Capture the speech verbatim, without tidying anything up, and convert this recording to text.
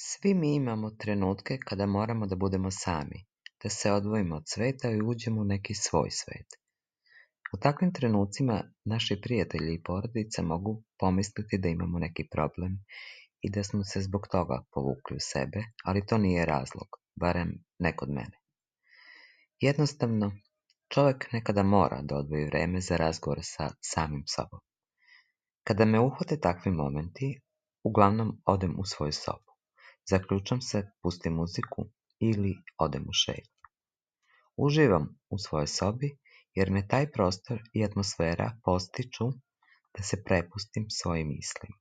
Svi mi imamo trenutke kada moramo da budemo sami, da se odvojimo od sveta i uđemo u neki svoj svet. U takvim trenucima naši prijatelji i porodica mogu pomisliti da imamo neki problem i da smo se zbog toga povukli u sebe, ali to nije razlog, barem ne kod mene. Jednostavno, čovjek nekada mora da odvoji vreme za razgovor sa samim sobom. Kada me uhvate takvi momenti, uglavnom odem u svoju sobu. Zaključam se, pustim muziku ili odem u šetnju. Uživam u svojoj sobi jer me taj prostor i atmosfera podstiču da se prepustim svojim mislima.